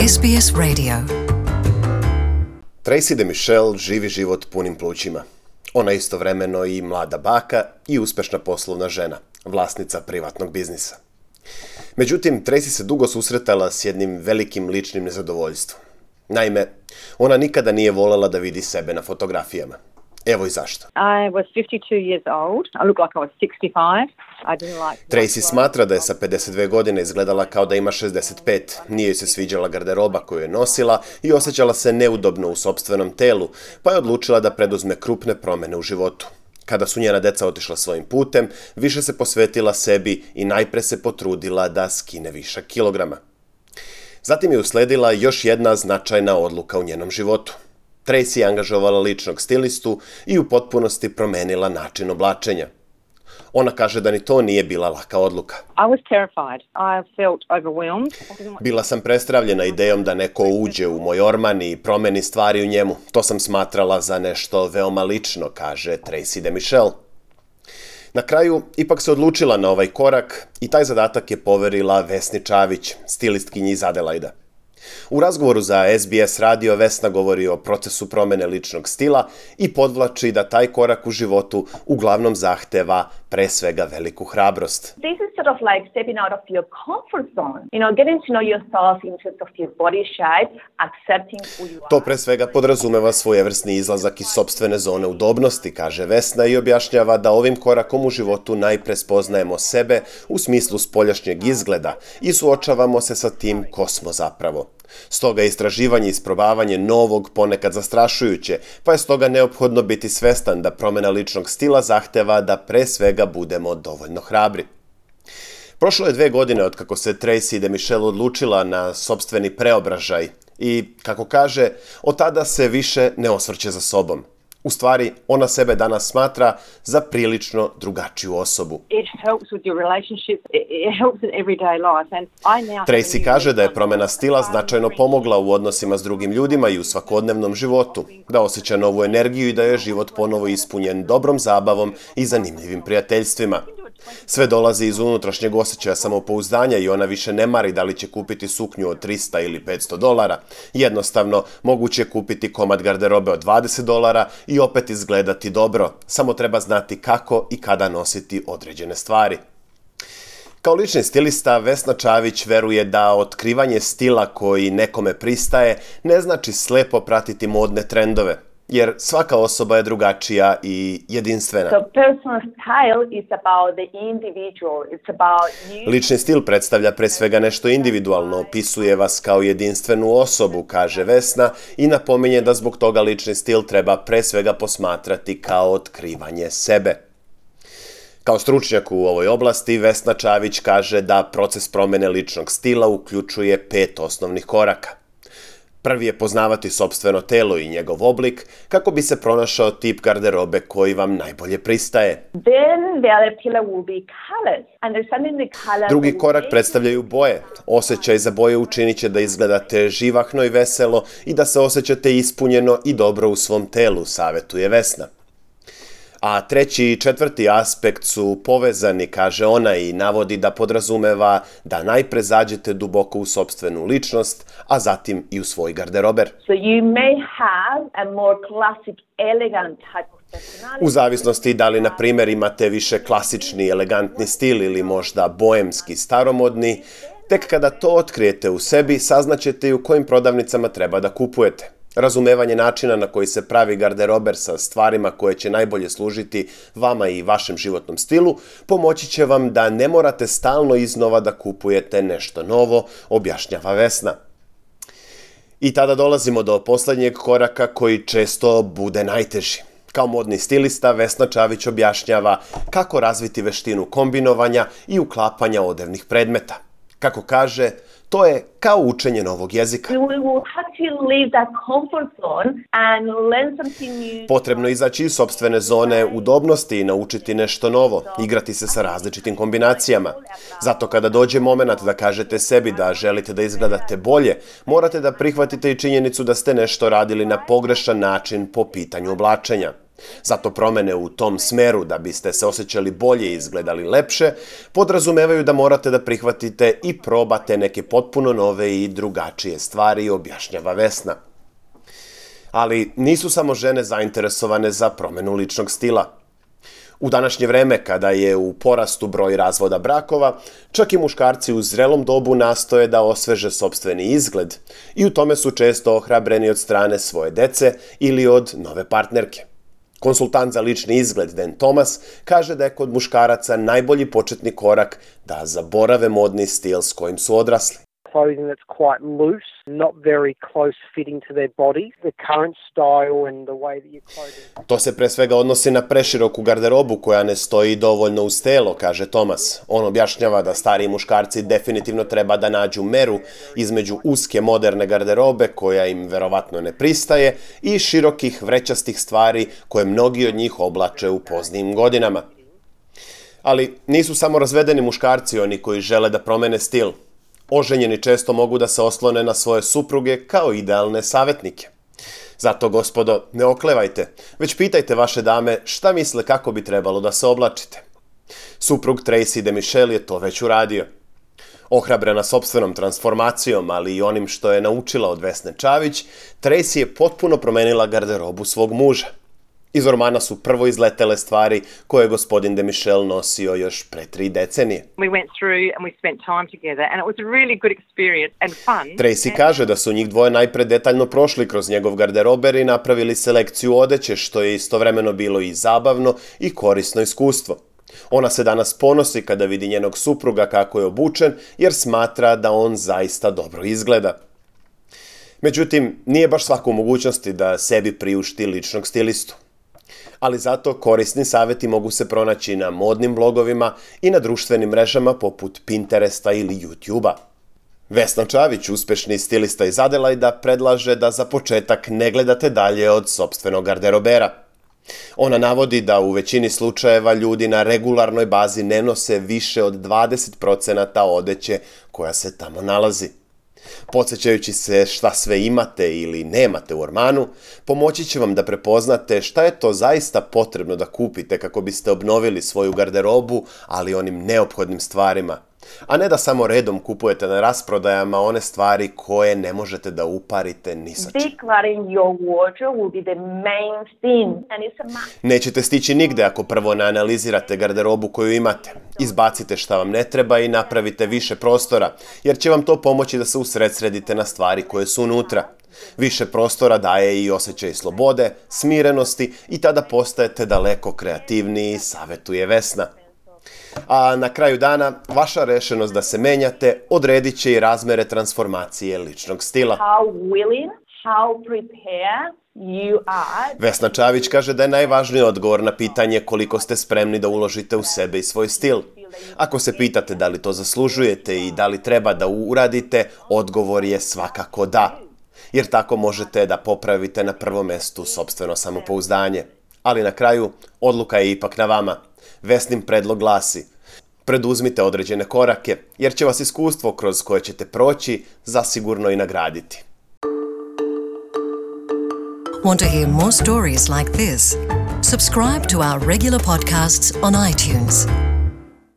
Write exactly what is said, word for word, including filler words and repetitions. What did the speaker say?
S B S Radio. Tracy DeMichelle živi život punim plućima. Ona je istovremeno i mlada baka i uspešna poslovna žena, vlasnica privatnog biznisa. Međutim, Tracy se dugo susretala s jednim velikim ličnim nezadovoljstvom. Naime, ona nikada nije voljela da vidi sebe na fotografijama. Evo i zašto. I was fifty-two years old. I looked like I was sixty-five. I didn't like... Tracy smatra da je sa pedeset dve godine izgledala kao da ima šezdeset pet. Nije joj se sviđala garderoba koju je nosila i osjećala se neudobno u sopstvenom telu, pa je odlučila da preduzme krupne promjene u životu. Kada su njena deca otišla svojim putem, više se posvetila sebi i najpre se potrudila da skine višak kilograma. Zatim je usledila još jedna značajna odluka u njenom životu. Tracy je angažovala ličnog stilistu i u potpunosti promenila način oblačenja. Ona kaže da ni to nije bila laka odluka. I was terrified. I felt overwhelmed. Bila sam prestravljena idejom da neko uđe u moj orman i promeni stvari u njemu. To sam smatrala za nešto veoma lično, kaže Tracy DeMichelle. Na kraju, ipak se odlučila na ovaj korak i taj zadatak je poverila Vesni Čavić, stilistkinji iz Adelaida. U razgovoru za S B S radio Vesna govori o procesu promjene ličnog stila i podvlači da taj korak u životu uglavnom zahteva pre svega veliku hrabrost. This is sort of like stepping out of your comfort zone. You know, getting to know yourself in terms of your body shape, accepting who you are. To pre svega podrazumeva svojevrsni izlazak iz sopstvene zone udobnosti, kaže Vesna i objašnjava da ovim korakom u životu najpre spoznajemo sebe u smislu spoljašnjeg izgleda i suočavamo se sa tim ko smo zapravo. Stoga je istraživanje i isprobavanje novog ponekad zastrašujuće, pa je stoga neophodno biti svestan da promjena ličnog stila zahteva da pre svega budemo dovoljno hrabri. Prošlo je dve godine od kako se Tracy DeMichelle odlučila na sopstveni preobražaj i, kako kaže, od tada se više ne osvrće za sobom. U stvari, ona sebe danas smatra za prilično drugačiju osobu. Tracy kaže da je promjena stila značajno pomogla u odnosima s drugim ljudima i u svakodnevnom životu, da osjeća novu energiju i da je život ponovo ispunjen dobrom zabavom i zanimljivim prijateljstvima. Sve dolazi iz unutrašnjeg osjećaja samopouzdanja i ona više ne mari da li će kupiti suknju od trista ili petsto dolara. Jednostavno, moguće je kupiti komad garderobe od dvadeset dolara i opet izgledati dobro. Samo treba znati kako i kada nositi određene stvari. Kao lični stilista, Vesna Čavić veruje da otkrivanje stila koji nekome pristaje ne znači slepo pratiti modne trendove, jer svaka osoba je drugačija i jedinstvena. Lični stil predstavlja pre svega nešto individualno, opisuje vas kao jedinstvenu osobu, kaže Vesna i napominje da zbog toga lični stil treba pre svega posmatrati kao otkrivanje sebe. Kao stručnjak u ovoj oblasti, Vesna Čavić kaže da proces promjene ličnog stila uključuje pet osnovnih koraka. Prvi je poznavati sopstveno telo i njegov oblik kako bi se pronašao tip garderobe koji vam najbolje pristaje. Drugi korak predstavljaju boje. Osjećaj za boje učinit će da izgledate živahno i veselo i da se osjećate ispunjeno i dobro u svom telu, savjetuje Vesna. A treći i četvrti aspekt su povezani, kaže ona, i navodi da podrazumeva da najpre zađete duboko u sopstvenu ličnost, a zatim i u svoj garderober. So you may have a more classic, elegant type of personality. U zavisnosti da li, na primjer, imate više klasični, elegantni stil ili možda boemski, staromodni, tek kada to otkrijete u sebi, saznaćete i u kojim prodavnicama treba da kupujete. Razumevanje načina na koji se pravi garderober sa stvarima koje će najbolje služiti vama i vašem životnom stilu pomoći će vam da ne morate stalno iznova da kupujete nešto novo, objašnjava Vesna. I tada dolazimo do posljednjeg koraka koji često bude najteži. Kao modni stilista, Vesna Čavić objašnjava kako razviti veštinu kombinovanja i uklapanja odevnih predmeta. Kako kaže, to je kao učenje novog jezika. Potrebno je izaći iz sopstvene zone udobnosti i naučiti nešto novo, igrati se sa različitim kombinacijama. Zato kada dođe moment da kažete sebi da želite da izgledate bolje, morate da prihvatite i činjenicu da ste nešto radili na pogrešan način po pitanju oblačenja. Zato promjene u tom smeru da biste se osjećali bolje i izgledali lepše podrazumevaju da morate da prihvatite i probate neke potpuno nove i drugačije stvari, objašnjava Vesna. Ali nisu samo žene zainteresovane za promjenu ličnog stila. U današnje vreme, kada je u porastu broj razvoda brakova, čak i muškarci u zrelom dobu nastoje da osveže sopstveni izgled i u tome su često ohrabreni od strane svoje dece ili od nove partnerke. Konsultant za lični izgled Dan Thomas kaže da je kod muškaraca najbolji početni korak da zaborave modni stil s kojim su odrasli. Clothing that's quite loose, not very close fitting to their bodies, the current style and the way that you're clothing. To se pre svega odnosi na preširoku garderobu koja ne stoji dovoljno uz telo, kaže Thomas. On objašnjava da stariji muškarci definitivno treba da nađu meru između uske moderne garderobe koja im verovatno ne pristaje i širokih vrećastih stvari koje mnogi od njih oblače u poznijim godinama. Ali nisu samo razvedeni muškarci oni koji žele da promene stil. Oženjeni često mogu da se oslone na svoje supruge kao idealne savjetnike. Zato, gospodo, ne oklevajte, već pitajte vaše dame šta misle kako bi trebalo da se oblačite. Suprug Tracy DeMichelle je to već uradio. Ohrabrena sopstvenom transformacijom, ali i onim što je naučila od Vesne Čavić, Tracy je potpuno promenila garderobu svog muža. Iz ormana su prvo izletele stvari koje je gospodin DeMichelle nosio još pre tri decenije. We went through and we spent time together and it was a really good experience and fun. Tracy kaže da su njih dvoje najpre detaljno prošli kroz njegov garderober i napravili selekciju odeće, što je istovremeno bilo i zabavno i korisno iskustvo. Ona se danas ponosi kada vidi njenog supruga kako je obučen, jer smatra da on zaista dobro izgleda. Međutim, nije baš svako u mogućnosti da sebi priušti ličnog stilistu. Ali zato korisni savjeti mogu se pronaći na modnim blogovima i na društvenim mrežama poput Pinteresta ili YouTubea. Vesna Čavić, uspešni stilista iz Adelaida, predlaže da za početak ne gledate dalje od sopstvenog garderobera. Ona navodi da u većini slučajeva ljudi na regularnoj bazi ne nose više od dvadeset procenata odeće koja se tamo nalazi. Podsjećajući se šta sve imate ili nemate u ormanu, pomoći će vam da prepoznate šta je to zaista potrebno da kupite kako biste obnovili svoju garderobu, ali onim neophodnim stvarima, a ne da samo redom kupujete na rasprodajama one stvari koje ne možete da uparite ni sa čim. Decluttering your wardrobe will be the main thing and it's a must. Nećete stići nigde ako prvo ne analizirate garderobu koju imate. Izbacite šta vam ne treba i napravite više prostora, jer će vam to pomoći da se usredsredite na stvari koje su unutra. Više prostora daje i osjećaj slobode, smirenosti i tada postajete daleko kreativniji, savjetuje Vesna. A na kraju dana, vaša rešenost da se menjate odredit će i razmere transformacije ličnog stila. How willing, how prepared you are. Vesna Čavić kaže da je najvažniji odgovor na pitanje koliko ste spremni da uložite u sebe i svoj stil. Ako se pitate da li to zaslužujete i da li treba da uradite, odgovor je svakako da. Jer tako možete da popravite na prvom mestu sopstveno samopouzdanje. Ali na kraju, odluka je ipak na vama. Vesnin predlog glasi: preduzmite određene korake, jer će vas iskustvo kroz koje ćete proći zasigurno i nagraditi. Want to hear more stories like this? Subscribe to our regular podcasts on iTunes.